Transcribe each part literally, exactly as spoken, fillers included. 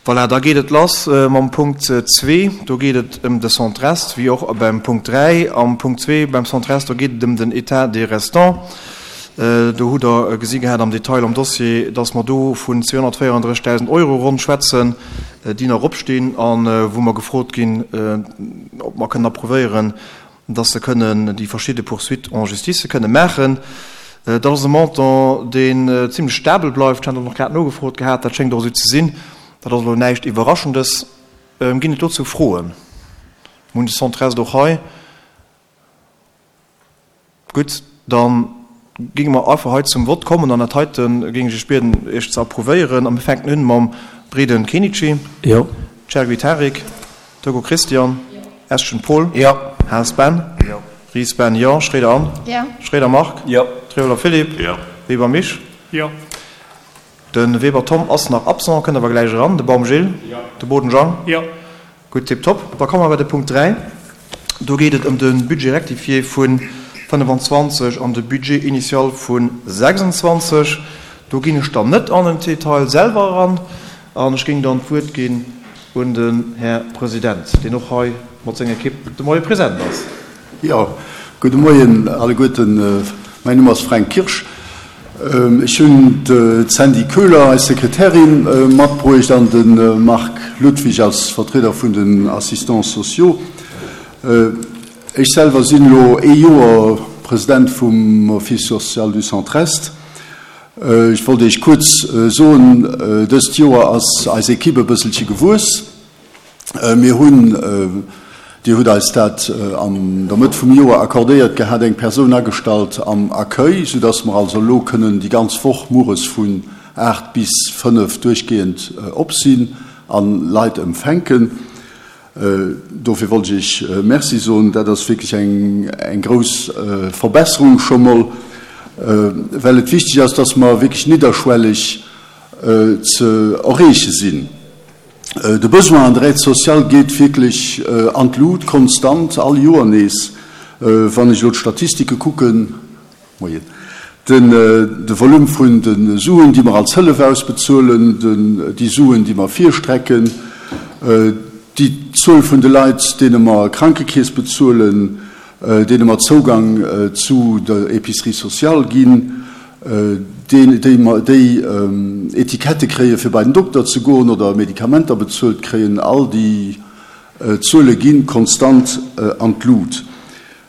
Voilà, da geet et lass mam Punkt zwee. Do geet et ëm de Centre-Est, wéi och beim Punkt dräi. Am Punkt zwee beim Centre-Est, do geet et ëm den État des restants. Do hutt Der gesi gehat am Detail am Dossier, dass mer do vun zweehonnertvéierunddrëssigdausend Euro ronn schwätzen, déi nach opstinn a wou mer gefrot ginn, ob mer kënnen approuvéieren, dass se kënnen déi verschidde Poursuites en justice kënne maachen. Dat ass e Montant, deen zimlech stabel bleift. Ech hat och nach grad nogefrot gehat, dat schéngt och esou ze sinn. Dat ass elo näischt Iwwerraschendes. Ginn et dozou Froen? Mir hunn de Centre-Est och hei. Gutt, da géinge mer einfach hei zum Vott kommen an dat heite géing ech Iech bieden, Iech ze approuvéieren. A mir fänken un mam Breden Kenichi. Jo. Chergui Tarik. Togo Christian. Jo. Eschen Paul. Jo. Haas Ben. Jo. Ries Ben, jo. Schroeder Anne. Jo. Schroeder Marc. Jo. Trioler Philippe. Jo. Weber Misch. Jo. De Weber Tom ass nach absent, kënnt awer gläich eran. De Baum Gilles. Jo. De Boden Jean. Jo. Gutt, tiptop. Da komme mer bei de Punkt dräi. Do geet et ëm de Budget rectifié vu fënnefenzwanzeg an de Budget initial vu sechsundzwanzeg. Do ginn ech dann net an den Detail selwer eran an ech géing dann d'Wuert ginn un den Här President, deen och hei mat senger Ekipp de Moie present ass. Jo, gudde Moien alleguerten. Mäin Numm ass Fränk Kirsch. Ech hunn d'Sandy Köhler, eis Sekretärin, matbruecht an de Marc Ludwig als Vertrieder vun den Assistants sociaux. Ech selwer sinn elo ee Joer President vum Office social du Centre-Est. Ech wollt Iech kuerz soen, dëst Joer ass eis Ekipp e bësselche gewuess. Mir hunn, Dir hutt eis dat an der Mëtt vum Joer accordéiert gehat, eng Persoun agestallt am Accueil, soudass mer also elo kënnen déi ganz Woch mueres vun aacht bis fënnef duerchgehend op sinn a Leit empfänken. Dofir wollt ech Iech Merci soen. Dat ass wierklech eng grouss Verbesserung scho mol, well et wichteg ass, dass mer wierklech nidderschwelleg ze erreeche sinn. De Besoin an der Aide sociale geet wierklech an d'Lut, konstant, all Joer nees. Wann ech elo d'Statistike kucken, moien, den de Volume vun de Suen, déi mer als Hëllef ausbezuelen, déi Suen, déi mer virstrecken, déi Zuel vun de Leit, deene mer Krankekeess bezuelen, deene mer Zougang zu der Épicerie sociale ginn, déi Etikette kréie fir bei den Dokter ze goen oder Medikamenter bezuelt kréien, all déi Zuele gi konstant an d'Lut.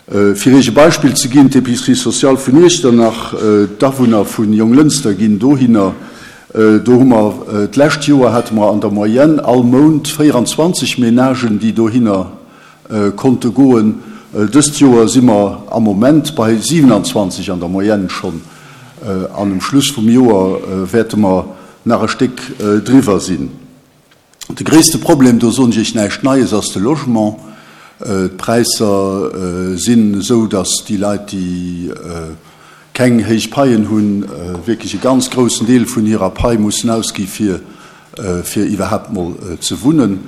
Fir Iech e Beispill ze ginn, D'Épicerie sociale vun Iechternach, d'Awunner vu Jonglënster ginn dohinner, do hu mer d'lescht Joer hate mer an der Moyenne all Mount véieranzwanzeg Menagen, déi dohinner konnte goen. Dëst Joer si mer am Moment bei siwenanzwanzeg an der Moyenne schonn an um Schluss vum Joer wäerte mer nach e Stéck driwwer sinn. De gréisste Problem, do soen ech Iech näischt Neies, ass de Logement. D'Präisser sinn esou, datt déi Leit, déi keng héich Paien hunn, wierklech e ganz groussen Deel vun hirer Pai mussen ausgi fir fir iwwerhaapt mol ze wunnen.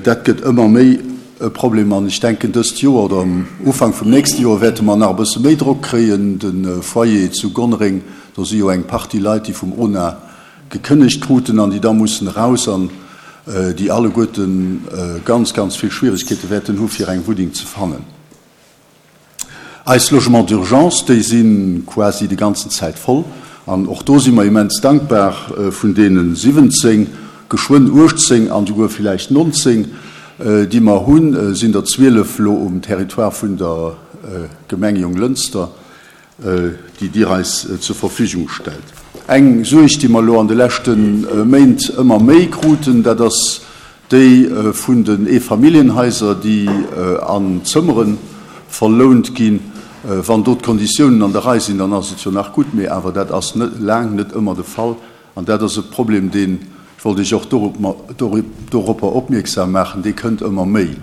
Dat gëtt ëmmer méi e Problem an ech denken, dëst Joer oder am Ufank vum nächste Joer wäerte mer nach e bësse méi Drock kréien. De Foyer zu Gonnereng, do si jo eng Partie Leit, déi vum ONA gekënnegt kruten an déi da mussen eraus an déi alleguerte ganz, ganz vill Schwieregkeete wäerten hu fir eng Wunneng ze fannen. Eis Logements d'urgence, déi si quasi déi ganzen Zäit voll. An och do si mer immens dankbar, vun deene siwwenzéng, geschwënn uechtzéng an souguer villäicht nonzéng, déi mer hunn, sinn der zwielef elo um Territoire vun der Gemeng Jonglënster, déi Dir eis zur Verfügung stellt. Eng Suerg, déi mer elo an de leschte Méint ëmmer méi kruten, dat ass déi vun den Eefamilljenhaiser, déi an Zëmmere verlount ginn. Wann do d'Konditiounen an der Rei sinn, dann ass et jo nach gutt, mee awer dat ass net, laang net ëmmer de Fall. An dat ass e Problem, deen, ech wollt Iech och doropper opmierksam maachen, dee kënnt ëmmer méi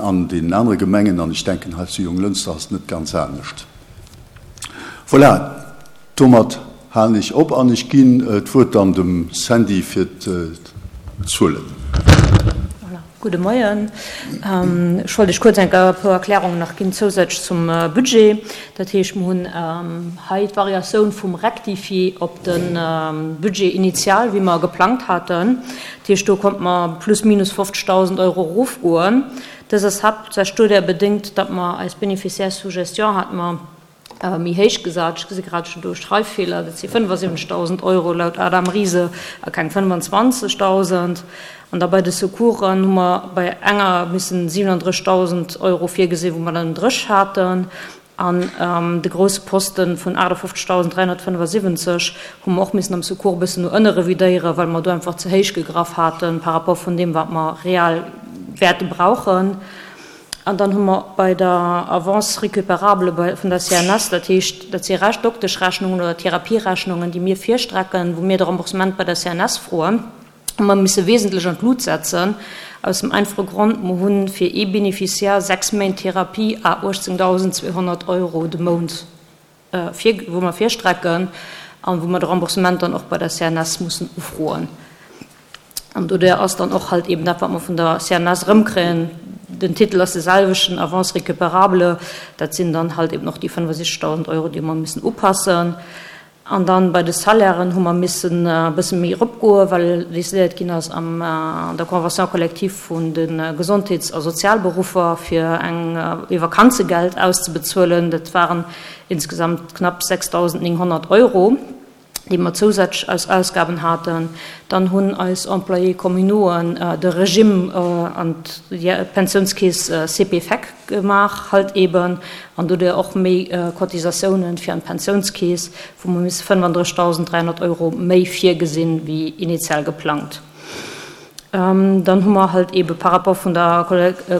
an deenen anere Gemengen. An ech denken, hei zu Jonglënster ass et net ganz anescht. Voilà, domat halen ech op an ech ginn d'Wuert dann dem Sandy fir d'Zuelen. Voilà, gudde Moien. Ech wollt Iech kuerz eng puer Erklärungen nach ginn zousätzlech zum Budget. Dat heescht, mer hunn hei d'Variatioun vum Rectifié op de Budget initial, wéi mer e geplangt haten. Dat heescht, do konnte mer plus minus fofzegdausend Euro erofgoen. Dës ass haaptsächlech doduerch bedéngt, datt mer eis Bénéficiaires sous gestion hate mer méi héich gesat. Ech gesi grad schon do e Schreiffeeler, dat si fënnefasiwwenzegdausend Euro laut Adam Riese a keng fënnefenzwanzegdausend. An da bei de Secoursen hu mer bei enger missen siwenandrëssigdausend Euro virgesinn, wou mer dann dréch haten. An de grousse Poste vun aachtefofzegdausend dräihonnertfënnefasiwwenzeg hu mer och missen am Secours e bëssen no ënne revidéieren, well mer do einfach ze héich gegraff hate par rapport vun deem, wat mer real wäerte brauchen. An dann hu mer bei der Avance récupérable vun der C N S, dat heescht, dat si Dokteschrechnungen oder Therapierechnungen, déi mir virstrecken, wou mir de Remboursement bei der C N S froen, hu mer misse wesentlech an d'Lut setzen, aus dem einfache Grond, mer hu fir ee Bénéficiaire sechs Méint Therapie à uechtzéngdausendzweehonnert Euro de Mount, wou mer virstrecken an wou mer de Remboursement dann och bei der C N S mussen ufroen. An doduerch ass dann och halt eben dat, wat mer vun der C N S erëmkréien, den Titel ass de selwechten, Avance récupérable, dat sinn dann halt eben och déi fënnefasiwwenzegdausend Euro, déi mer missen upassen. An dann bei de Salairen hu mer missen e bësse méi eropgoen, well decidéiert ginn ass an der Convention collective vun de Gesondheets a Sozialberuffer, fir eng ee Vakanzegeld auszebezuelen. Dat waren insgesamt knapp sechsdausendnénghonnert Euro, déi mer zousätzlech als Ausgaben haten. Dann hunn eis Employés communauxen de Regime an d'Pensiounskeess C P F E C gemaach, halt eben, an doduerch och méi Cotisatiounen fir an d'Pensiounskeess, wou mer misse fënnefandrëssigdausend dräihonnert Euro méi virgesinn, wéi initial geplangt. Dann hu mer halt ebe par rapport vun der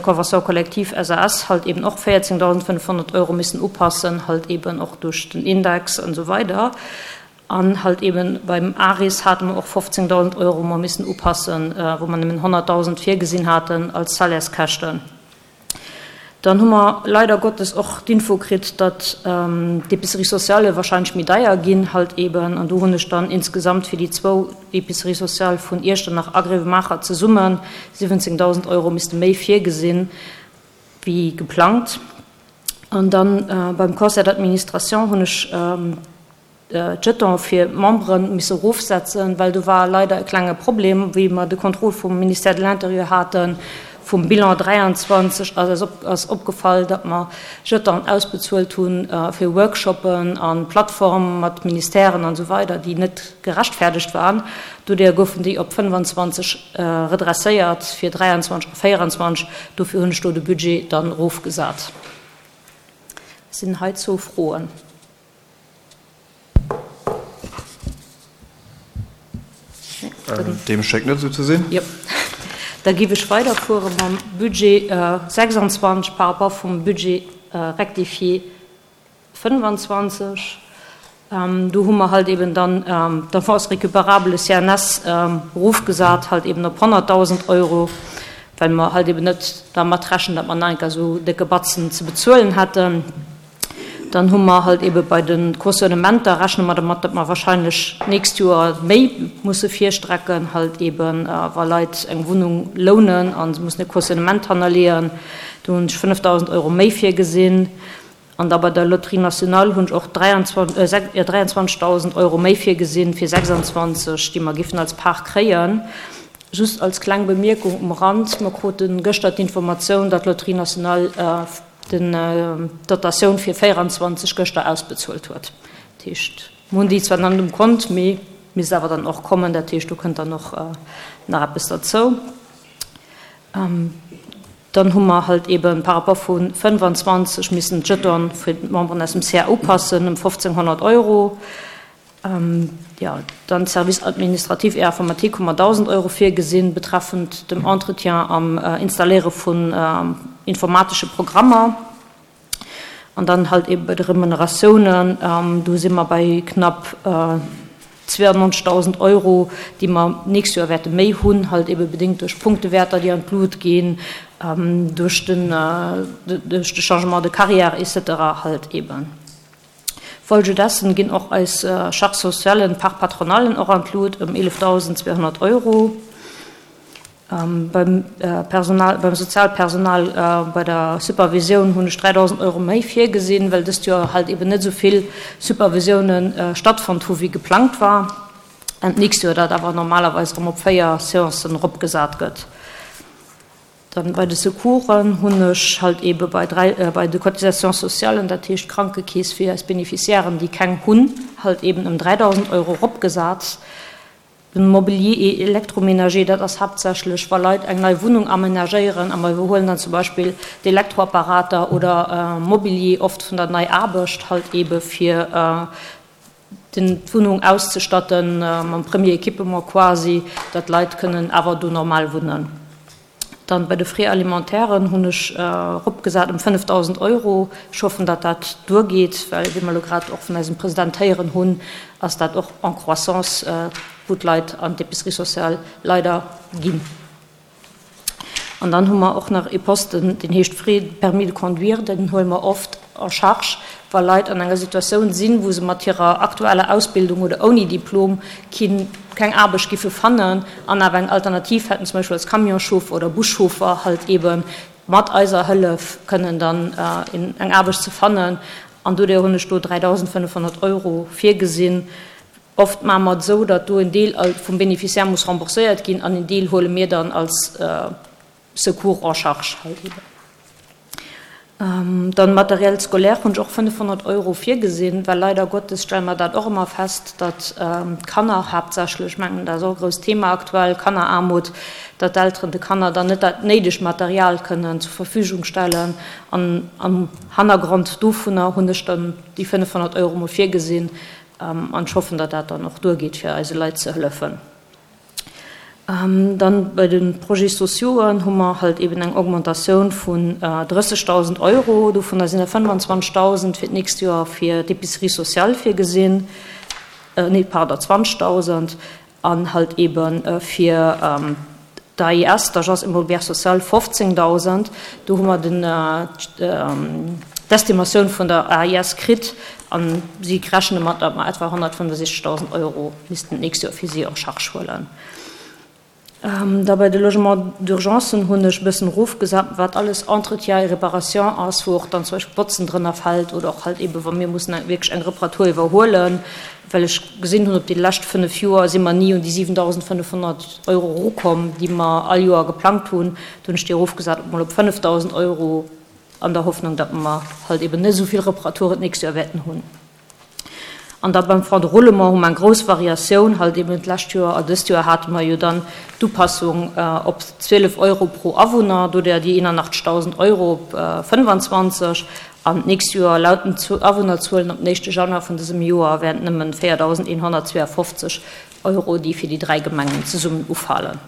Convention collective S A S halt eben och véierzéngdausendfënnefhonnert Euro missen upassen, halt eben och duerch den Index an esou weider. An halt eben beim ARIS hate mer och fofzéngdausend Euro mer missen upassen, wou mer nëmmen honnertdausend virgesinn haten als Salaires-Käschten. Dann hu mer leider Gottes och d'Info kritt, datt d'Épiceries sociales wahrscheinlech méi deier ginn, halt eben. An do hunn ech dann insgesamt fir déi zwou Épiceries sociales vun Iechternach a Gréiwemaacher zesumme siwwenzéngdausend Euro misste méi virgesinn, wéi geplangt. An dann beim Conseil d'administration hunn ech d'Jeton fir d'Membere misse erofsetzen, well do war leider e klenge Problem, wéi mer de Contrôle vum Ministère de l'Intérieur haten, vum Bilan dräianzwanzeg ass eis op, ass opgefall, datt mer Jetonen ausbezuelt hu fir Workshoppen a Plattforme mat Ministèren an esou weider, déi net gerechtfäerdegt waren. Doduerjer goufen déi op fënnefenzwanzeg redresséiert fir dräianzwanzeg a véieranzwanzeg. Dofir hunn ech do de Budget dann erofgesat. Sinn heizou Froen? Deem schéngt net esou ze sinn. Jo. Da géif ech weiderfuere mam Budget sechsanzwanzeg par rapport vum Budget rectifié fënnefenzwanzeg. Do hu mer halt eben dann d'Avance récupérable C N S erofgesat, halt eben op honnertdausend Euro, well mer halt eben net dermat rechnen, datt mer nach eng Kéier esou décke Batzen ze bezuelen hätten. Dann hu mer halt ebe bei de Cautionnementer, rechne mer dermat, datt mer wahrscheinlech d'nächst Joer méi musse virstrecken, halt eben wa Leit eng Wunnung lounen a se mussen e Cautionnement hannerleeën. Do hunn ech fënnefdausend Euro méi virgesinn. An da bei der Loterie nationale hunn ech och dräianzwanzegdausend Euro méi virgesinn fir sechsanzwanzeg, déi mer géifen als Part kréien. Just als kleng Bemierkung um Rand, mer krute gëschter d'Informatioun, datt d'Loterie nationale d'Dotatioun fir véieranzwanzeg gëschter ausbezuelt huet. Dat heescht, mer hunn déi zwar nach net um Kont, mee misst awer dann och kommen. Dat heescht, do kënnt dann och nach eppes derzou. Dann hu mer halt eben par rapport vu fënnefenzwanzeg missen d'Jeton fir d'Memberen aus dem C A upassen ëm fofzénghonnert Euro. Jo, dann Service administratif et informatique hu mer dausend Euro virgesinn, betreffend dem Entretien am Installéiere vun informatesche Programmer. An dann halt eben bei de Remuneratiounen, do si mer bei knapp zweeannonzegdausend Euro, déi mer d'nächst Joer wäerte méi hunn, halt ebe bedéngt duerch Punktewäerter, déi an d'Lut ginn, duerch den, duerch de Changement de carrière et cetera halt eben. Folgedessen ginn och eis Charges sociales, Part patronalen och an d'Lut ëm eelefdausendzweehonnert Euro. Beim Personal, beim Sozialpersonal, bei der Supervisioun hunn ech dräidausend Euro méi virgesinn, well dëst Joer halt eben net esou vill Supervisiounen stattfonnt hu wéi geplangt war. An d'nächst Joer dat awer normalerweis erëm op véier Seancen eropgesat gëtt. Dann bei de Secoursen hunn ech halt eebe bei dräi, bei de Cotisations socialen, dat heescht d'Krankekeess fir eis Beneficiairen, déi keng hunn, halt eeben ëm dräidausend Euro eropgesat. Den Mobilier et électroménager, dat ass haaptsächlech, wa Leit eng nei Wunnung amenagéieren a mer iwwerhuelen dann zum Beispill d'Elektroapparater oder Mobilier oft vun der nei Aarbecht halt eebe fir d'Wunnung auszestatten mam Premier Equipement quasi, datt d'Leit kënnen awer do normal wunnen. Dann bei de Frais alimentairen hunn ech eropgesat ëm fënnefdausend Euro. Ech hoffen, datt dat duergeet, well wéi mer elo grad och vun eisem President héieren hunn, ass dat och en croissance, wou d'Leit an d'Épicerie sociale leider ginn. An dann hu mer och nach ee Posten, deen heescht Frais de permis de conduire. Den huele mer oft en charge, wa Leit an enger Situatioun sinn, wou se mat hirer aktueller Ausbildung oder ouni Diplom keen, keng Aarbecht giffe fannen an awer eng Alternativ hätten, zum Beispill als Camionschauffer oder Buschauffer, halt eebe mat eiser Hëllef kënnen dann eng Aarbecht ze fannen. An doduerjer hunn ech do dräidausendfënnefhonnert Euro virgesinn. Oft maache mer et esou, datt do en Deel vum Bénéficiaire muss rembourséiert ginn an en Deel huele mir dann als Secours en charge halt eben. Dann Matériel scolaire hunn ech och fënnefhonnert Euro virgesinn, well leider Gottes stelle mer dat och ëmmer fest, datt d'Kanner haaptsächlech, ech mengen dat ass och e grousst Thema aktuell, Kanneraarmut, datt d'Elteren de Kanner dann net dat néidegt Material kënnen zur Verfügung stellen. An am Hannergrond dovunner hunn ech dann déi fënnefhonnert Euro mol virgesinn an ech hoffen, datt dat dann och duergeet fir eise Leit ze hëllefen. Dann bei de Projets sociauxen hu mer halt eben eng Augmentatioun vun drëssegdausend Euro. Dovunner sinn der fënnwanzwanzegdausend fir d'nächst Joer fir d'Épicerie sociale virgesinn, nee, pardon, zwanzegdausend, an halt ebe fir d'AIS, d'Agence immobilière sociale, fofzéngdausend. Do hu mer den, d'Estimatioun vun der A I S kritt a si rechne mat, datt mer etwa honnertfënnefosichzegdausend Euro missten d'nächst Joer fir si en charge huelen. Da bei de Logements d'urgencen hunn ech e bëssen erofgesat, wat alles Entretien et réparation ass, wou och dann zum Beispill Botzen drënner fält oder och halt eebe wa mir mussen eng wierklech eng Reparatur iwwerhuelen, well ech gesinn hunn, op déi lescht fënnef Joer si mer ni un déi siwendausendfënnefhonnert Euro erukomm, déi mer all Joer geplangt hunn. Do hunn ech déi erofgesat op mol op fënnefdausend Euro an der Hoffnung, datt mer halt eeben net esou vill Reparaturen d'nächst Joer wäerten hunn. An da beim Fonds de roulement hu mer eng grouss Variatioun, halt eben d'lescht Joer a dëst Joer hate mer jo dann d'Upassung op zwielef Euro pro Awunner, doduerjer déi eenanachtzegdausend Euro op fënnwanzwanzeg. An d'nächst Joer laut den Awunnerzuelen op den éischte Januar vun dësem Joer wären et nëmmen véierdausendeenhonnertzweeafofzeg Euro, déi fir déi dräi Gemengen zesummen ufalen.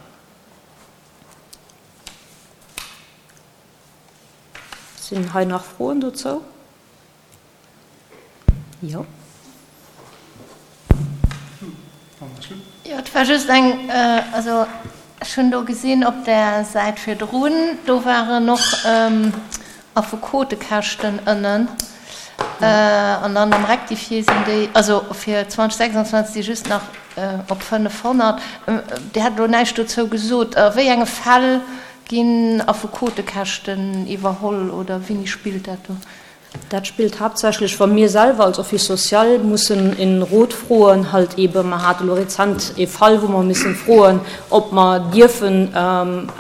Sinn hei nach Froen dozou? Jo. Jo, et war just eng, also ech hunn do gesinn op där Säit virdrun, do waren och Affekotekäschten ënnen an dann am Rectifié sinn déi, also fir zweitausendsechsundzwanzeg si just nach op fënnefhonnert. Dir hat elo näischt dozou gesot. A wéi enge Fäll ginn Affekotekäschten iwwerholl oder wéini spillt dat do? Dat spillt haaptsächlech, wa mir selwer als Office social mussen en Rot froen, halt eebe mer hate lo rezent ee Fall, wou mer missen froen, ob mer dierfen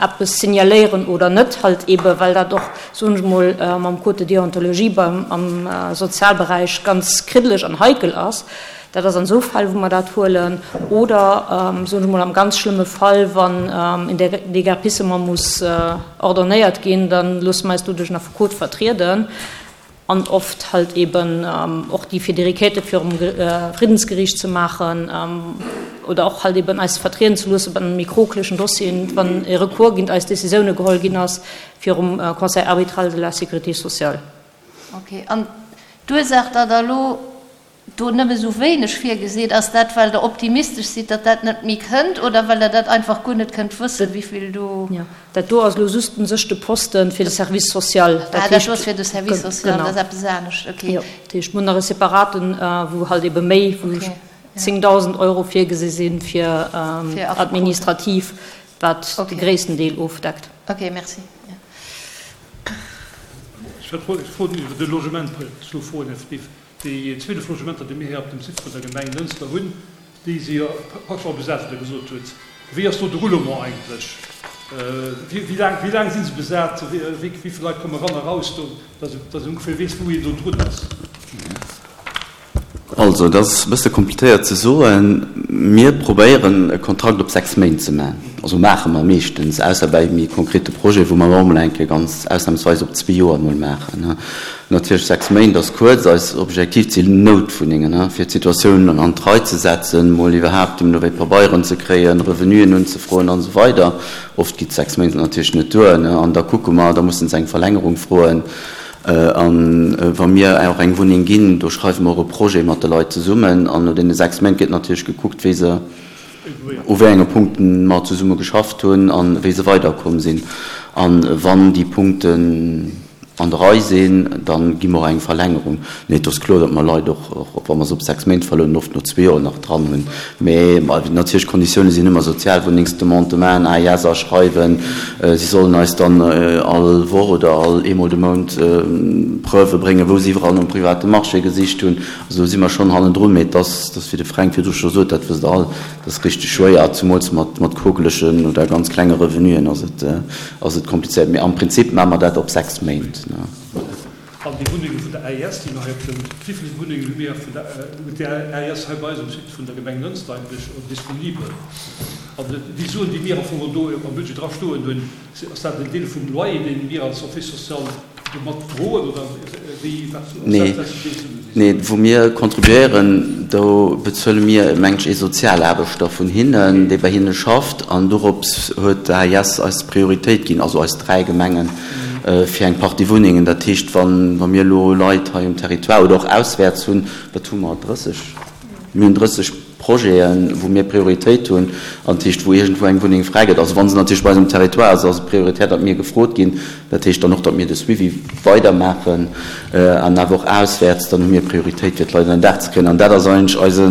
eppes signaléieren oder net, halt eebe well dat och, soen ech mol, mam Code de déontologie beim am Sozialberäich ganz kriddeleg an heikel ass. Dat ass an esou Fäll, wou mer dat huelen. Oder, soen ech mol, am ganz schlëmme Fall, wann en Déguerpissement muss ordonnéiert ginn, da loosse mer eis do duerch en Affekot vertrieden. An oft halt eben och déi fir déi Requêtë virum Friddensgeriicht ze maachen oder och halt eben eis vertrieden ze loosse bei méi krokelichen Dossieren, wann e Recours géint eis Décisioune geholl ginn ass virum Conseil arbitral de la sécurité sociale. Okay. An d'Ursaach, datt Der elo do nëmme sou wéineg virgesitt, ass dat, well Der optimistesch sidd, datt dat net méi kënnt, oder well Der dat einfach guer net kënnt wëssen, wéivill do. Jo, dat do ass elo just u sech de Poste fir de Service social. Ah, dat do ass fir de Service social, dat ass eppes anescht, okay. Jo, dat heescht, mir hunn nach e separaten, wou halt ebe méi, wou zéngdausend Euro virgesi si fir administrativ, wat de gréissten Deel ofdeckt. Okay, merci. Ech wollt froen iwwer de Logement, ech elo froen, Här Spiff. Déi zwielef Logementer, déi mir hei op dem Site vun der Gemeng Lënster hunn, Déi si jo praktesch all besat, wéi Der gesot hutt. Wéi ass do de Roulement eigentlech? Wéi laang, wéi laang si se besat? Wéi vill Leit kommen eran a raus do, dass een ongeféier weess, wou een do drun ass? Also, dat ass e bësse komplizéiert ze soen. Mir probéieren, e Kontrakt op sechs Méint ze maachen. Also maache mer meeschtens, ausser bei méi konkrete Projeten, wou mer och emol eng Kéier ganz ausnahmsweis op zwee Joer emol maachen. Natierlech, sechs Méint ass kuerz. Eis Objektiv sinn Noutwunnengen, fir d'Situatioun an d'Rei ze setzen, emol iwwerhaapt emol ewéi Pabeieren ze kréien, Revenuen unzefroen an esou weider. Oft geet sechs Méint natierlech net duer. An da kucke mer, da mussen se eng Verlängerung froen. A wa mir och eng Wunneng ginn, do schreiwe mer och e Projet mat de Leit zesummen. An no deene sechs Méint gëtt natierlech gekuckt, wéi se, u wéi enge Punkten mer zesumme geschafft hunn a wéi se weiderkomm sinn. A wann déi Punkten an der Rei sinn, da gi mer och eng Verlängerung. Mee et ass kloer, datt mer Leit och, och wa mer se op sechs Méint verlounen, oft no zwee Joer nach dran hunn. Mee natierlech, d'Konditioune sinn ëmmer Sozialwunnengsdemande maachen, A I S aschreiwen. Si sollen eis dann all Woch oder all eemol de Mount Preuve bréngen, wou se iwwerall nom private Marché gesicht hunn. Also do si mer schonn hannendrun. Mee et ass, wéi de Fränk virdru scho sot, dat wësst Der all, dat ass richteg schwéier, zumools mat mat quokelegen oder ganz klenge Revenuen ass et ass et komplizéiert. Mee am Prinzip maache mer dat op sechs Méint. An déi Wunnenge vun der A I S, déi mer hei op dem, wéi vill Wunnengen hu mir vun der, huet déi A I S hei bei eis um Site vun der Gemeng Lënster eigentlech disponibel? An déi Suen, déi mir am Fong do am Budget dra stoen hunn, ass dat en Deel vum Loyer, dee mir als Office social do mat droen, oder wéi, wat ass dat, wat déi Suen sinn? Nee, wou mir contribuéieren, do bezuele mir, meng ech, ee Sozialaarbechter vun hinnen, dee bei hinne schafft. An dorops huet d'A I S eis Prioritéit ginn, also eis dräi Gemengen, fir eng Partie Wunnengen. Dat heescht, wa mir elo Leit hei um Territoire oder och auswäerts hunn, wat hu mer, drësseg? Mir hunn drësseg Projeten, wou mir Prioritéit hunn, an dat heescht, wou iergendwou eng Wunneng fräi gëtt. Also wa se natierlech bei eis um Territoire ass, ass et prioritär, datt mir gefrot ginn. Dat heescht dann och, datt mir de Suivi weidermaachen an awer och auswäerts, dann hu mir Prioritéit, fir d'Leit ënner Daach ze kréien. An dat ass eigentlech eise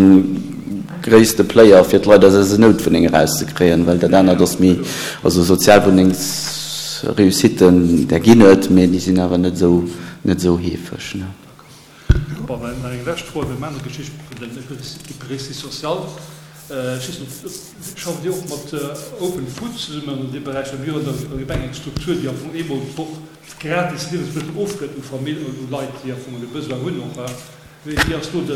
gréisste Player, fir d'Leit aus eisen Noutwunnenge erauszekréien, well dat anert ass méi, also Sozialwunnengsreussitten, där ginn et, mä déi sinn awer net esou, net esou heefeg. Bon, nach eng lescht Fro iwwer eng aner Geschicht vun den Épiceries sociales. Ech weess net, schafft Dir och mat Open Food zesummen an deem Beräich? Well mir hunn an der Gemeng eng Struktur, déi am Fong eemol d'Woch gratis Liewensmëttel ofgëtt u Familljen, u Leit, déi am Fong e Besoin hunn och. Wéi ass do de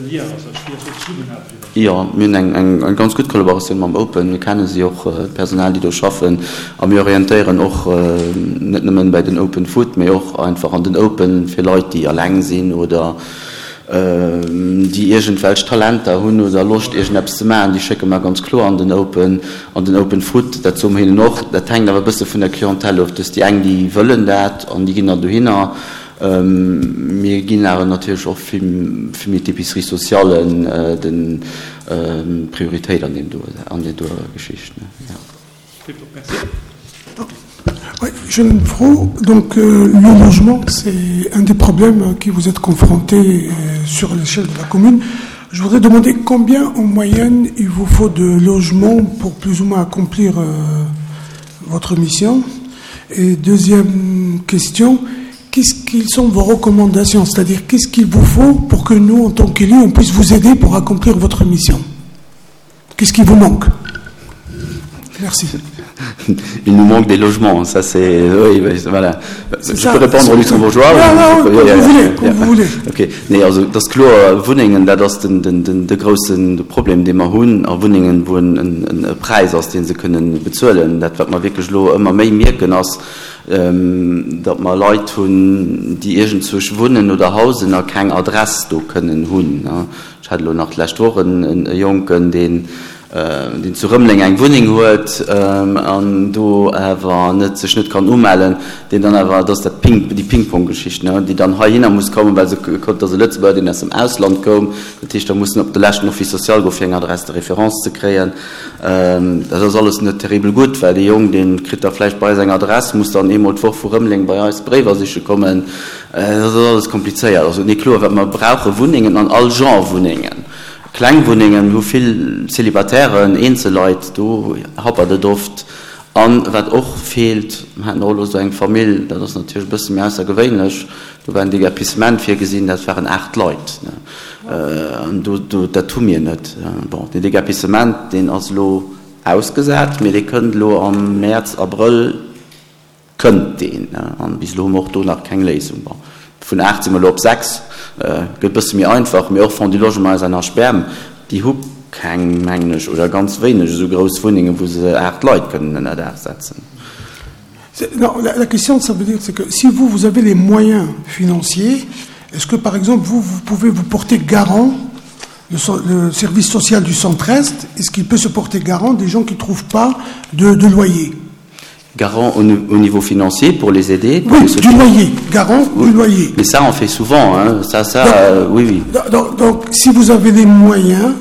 Lien, also wéi ass do d'Zesummenaarbecht iwwerhaapt? Jo, mir hunn eng ganz gutt Kollaboratioun mam Open. Mir kenne si och, d'Personal, déi do schaffen. A mir orientéieren och net nëmmen bäi den Open Food, mee och einfach an den Open fir Leit, déi eleng sinn oder déi iergendwelch Talenter hunn oder Loscht, iergendeppes ze maachen. Déi schécke mer ganz kloer an den Open. An den Open Food, dat soe mer hinnen och, dat hänkt awer e bësse vun der Clientèle of. Dass déi eng, déi wëllen dat an déi ginn dann dohinner. Mir ginn awer natierlech och vill méi d'Épicerie sociale de Prioritéit an deem do, an där doer Geschicht. Oui, j'ai une Fro. Donc, euh, le logement, c'est un des problèmes qui vous êtes confrontés euh, sur l'échelle de la commune. Je voudrais demander combien en moyenne il vous faut de logements pour plus ou moins accomplir euh, votre mission. Et deuxième question, qu'est-ce qu'ils sont vos recommandations? C'est-à-dire, qu'est-ce qu'il vous faut pour que nous, en tant qu'élus, on puisse vous aider pour accomplir votre mission? Qu'est-ce qui vous manque? Merci. Il nous manque des logements, ça c'est... Oui, voilà. Je ça, peux répondre au luxembourgeois? Ja, ja, comme vous voulez, comme vous voulez. Okay. Nee, also dat ass kloer, Wunnengen, dat ass den, den, den, de groussen Problem, dee mer hunn, a Wunnengen, wou en, en, e Präis ass, dee se kënnen bezuelen. Dat, wat mer wierklech elo ëmmer méi mierken, ass, datt mer Leit hunn, déi iergendzwousch wunnen oder hausen a keng Adress do kënnen hunn. Ech hat elo nach d'lescht Woch en e Jonken, deen, deen zu Rëmeleng eng Wunneng huet an do awer net, sech net kann umellen, deen dann awer, dat ass dat Ping, déi Ping-Pong-Geschicht, ne, déi dann heihinner muss kommen, well se krut, dat ass e Lëtzebuerger, deen aus dem Ausland koum. Dat heescht, da muss en op de leschten Office social goen, fir eng Adresse de référence ze kréien. Dat ass alles net terribel gutt, well dee Jong, dee kritt da vläicht bei eis eng Adress, muss dann eemol d'Woch vu Rëmeleng bei eis Bréiwer siche kommen. Dat ass alles komplizéiert. Also, nee, kloer, wat mer brauche, Wunnengen an all Genre Wunnengen. Kleng Wunnengen hu vill Célibataires, eenzel Leit, do happert et oft. An wat och feelt, mer haten och elo esou eng Famill, dat ass natierlech e bësse méi aussergewéinlech, do war en Déguerpissement virgesinn, dat waren aacht Leit. An do, do, dat hu mir net. Bon, den Déguerpissement, deen ass elo ausgesat, mee dee kënnt elo am Mäerz, Abrëll kënnt deen. An bis elo hu mer och do nach keng Léisung. Bon, vun aacht si mer elo op sechs, gëtt e bësse méi einfach. Mee och Fonds du Logement S N H B M, déi hu keng, mengen ech, oder ganz wéineg esou grouss Wunnengen, wou se aacht Leit kënnen ënnerdaach setzen. Non, la, la question, ça veut dire, c'est que si vous, vous avez les moyens financiers, est-ce que, par exemple, vous, vous pouvez vous porter garant, le so-, le service social du Centre-Est, est-ce qu'il peut se porter garant des gens qui ne trouvent pas de, de loyer ? Garant au, au niveau financier pour les aider, pour Oui, les du soutenir. loyer, garant Oui. du loyer. Mais ça, on fait souvent, hein. Ça, ça, Donc, euh, oui, oui. donc, donc, donc, si vous avez les moyens,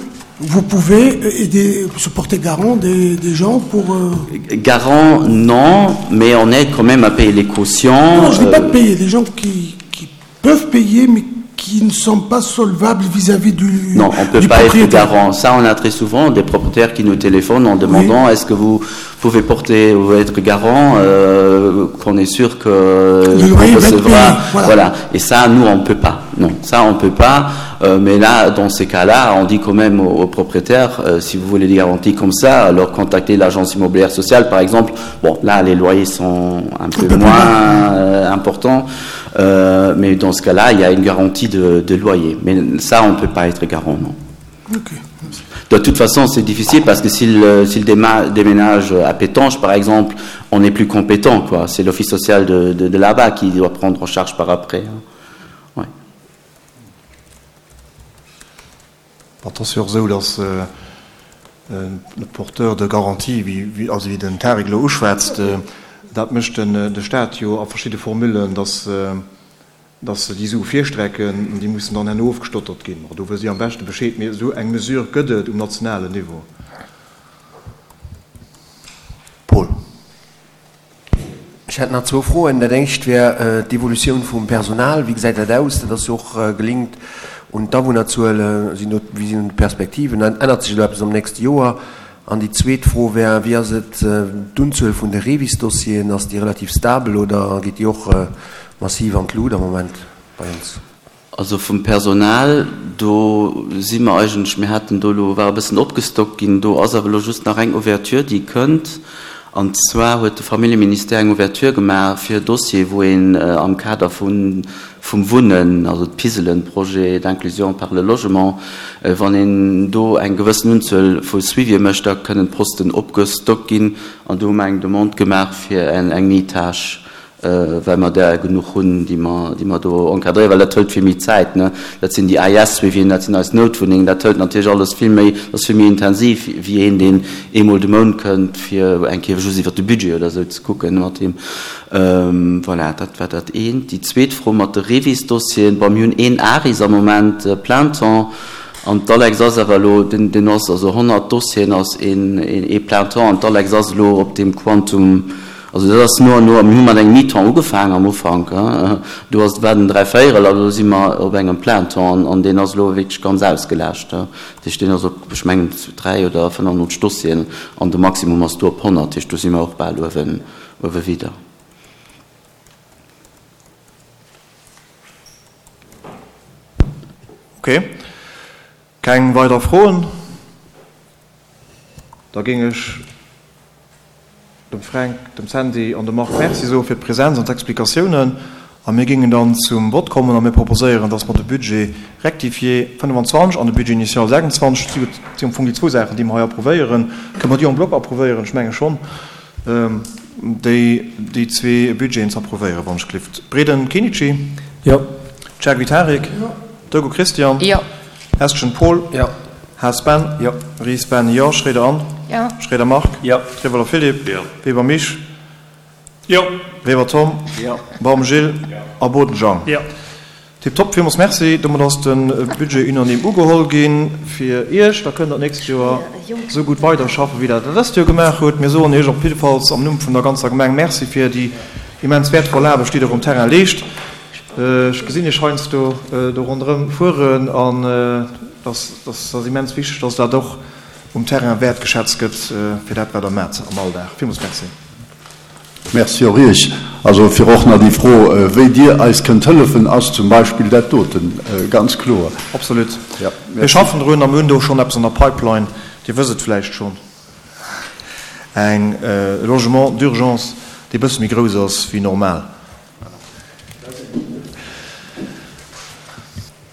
vous pouvez aider, se porter garant des, des gens pour, euh, Garant, non, mais on aide quand même à payer les cautions. Non, je ne dis pas de euh, payer, des gens qui, qui peuvent payer, mais qui ne sont pas solvables vis-à-vis du Non, on ne peut du pas être propriétaire. garant. Ça, on a très souvent des propriétaires qui nous téléphonent en demandant Oui. est-ce que vous pouvez porter ou être garant, euh, qu'on est sûr que Le loyer qu'on va être recevra. payé, voilà. Voilà. Et ça, nous, on ne peut pas. Non, ça, on ne peut pas. Euh, mais là, dans ces cas-là, on dit quand même aux, aux propriétaires, euh, si vous voulez des garanties comme ça, alors contactez l'agence immobilière sociale, par exemple. Bon, là, les loyers sont un peu Un peu plus moins, bas. euh, importants. Euh, mais dans ce cas-là, il y a une garantie de, de loyer. Mais ça, on ne peut pas être garant, non. Ok. De toute façon, c'est difficile parce que s'il, euh, s'il déma-, déménage à Pétange, par exemple, on n'est plus compétent, quoi. C'est l'office social de, de, de là-bas qui doit prendre en charge par après. Hein. Ouais. Attention, so, dass, euh, euh, le porteur de garantie, wie, wie, also wie den Tarek lo uschwätzt, äh, dat mécht den, äh, de Staat jo a verschiedene Formulen, dass, äh, dass se déi Sue virstrecken, die müssen dann herno ofgestottert ginn. Do wëll si am besten Bescheed, mee so eng Mesure gëtt et um nationalen Niveau. Paul. Ich hätte noch zwei Fragen. Da denke ich, wär, äh, d'Evolution vom Personal, wie gesagt, das aus, dass das auch, äh, gelingt. Und da, wo natürlich, äh, sind noch, wie sind die Perspektiven? Dann ändert sich etwas am nächsten Jahr. An die zweite Frage wäre, wie ist es, äh, die Unzahl von den Revis-Dossieren, ist die relativ stabil oder geht die auch, äh, massiv an die Luder im Moment bei uns? Also vom Personal, do sind wir eigentlich, wir hatten do lo, war ein bisschen abgestockt, ginn do ass awer lo just nach eng Ouverture, die könnt. Und zwar huet de Familienministère eng Ouverture gemacht fir Dossier, wo een, äh, am Kader vun, vum Wunnen, also d'Piselen, Projet d'inclusion par le logement, äh, wann een do eng gewëssen Unzuel vu Suivi mécht, da kënnen Posten opgestockt ginn an do hu mer eng Demande gemacht fir eng, eng Mitage, äh, weil wir da genug hunn, die man, die man do encadrieren, weil das hört viel mehr Zeit, ne? Das sind die A S, wie wir, das sind als Notwohnungen, das hört natürlich alles viel mehr, das ist viel mehr intensiv, wie een den einmal den Mond könnt, für ein Käfer just über das Budget oder so zu gucken, mit dem. Ähm, voilà, das war das ein. Die zweite Frage mit der Revis-Dossier, bei mir ein Aris am Moment, äh, plein temps, und d'Alex ass awer lo, den, den ass also hundert Dossieren ass in, in e plein temps, und d'Alex ass lo op dem Quantum, also das ist nur, nur, wir haben eng Mietung angefangen am Anfang, ja. Du hast werden drei Viertel, also sind wir auf engem Plan und, und den ist lo wirklich ganz ausgelascht, ja. Die stehen also, ich meine, drei oder fünfhundert Dossieren und der Maximum hast du auf hundert, da sind wir auch bald über, über wieder. Okay. Kein weiter Frohen? Da ging ich dem Frank, dem Sandy und dem Marc Merci so für die Präsenz und die Explikationen. Und wir gingen dann zum Wort kommen und wir proposieren, dass wir das Budget rectifié fünfundzwanzig und das Budget initial sechsundzwanzig, das sind die zwei Sachen, die wir hier approvieren, können wir die en bloc approvieren, ich meine schon, ähm, die, die zwei Budgets approvieren, wenn ich klifft. Breden Kenichi? Ja. Czerwi Tarek? Ja. Dogo Christian? Ja. Hestchen Paul? Ja. Haas Ben? Ja. Ries Ben? Ja. Schreder Ann? Ja. Schreder Marc? Ja. Trevoller Philipp? Ja. Weber Mich? Ja. Weber Tom? Ja. Baum Gilles? Ja. A Boden Jean? Ja. Tipptopp, vielmals merci. Damit ass den Budget unaniem ugeholt ginn fir Iech. Da könnt ihr nächstes Jahr so gut weiterschaffen, wie das letzte Jahr gemacht huet. Mir soen Iech op jiddefalls am Numm vun der ganzer Gemeng Merci fir die immens wertvoll Aarbecht, die der um Terrain leescht. Äh, ich gesinn Iech heiansdo, äh, do rondrëm fuhren an, äh, das, das ass immens wichtig, dass da doch um Terrain wertgeschätzt gëtt, äh, fir dat, wat der mat am Alldag. Vielmals merci. Merci och Iech. Also fir och nach déi Fro, wéi Dir eis kënnt hëllefen, ass zum Beispill dat doten ganz kloer. Absolut. Mir schaffen drun a mir hunn do schonn eppes an der Pipeline. Dir wësst et vläicht schonn, eng Logement d'urgence, déi e bësse méi grouss ass wéi normal.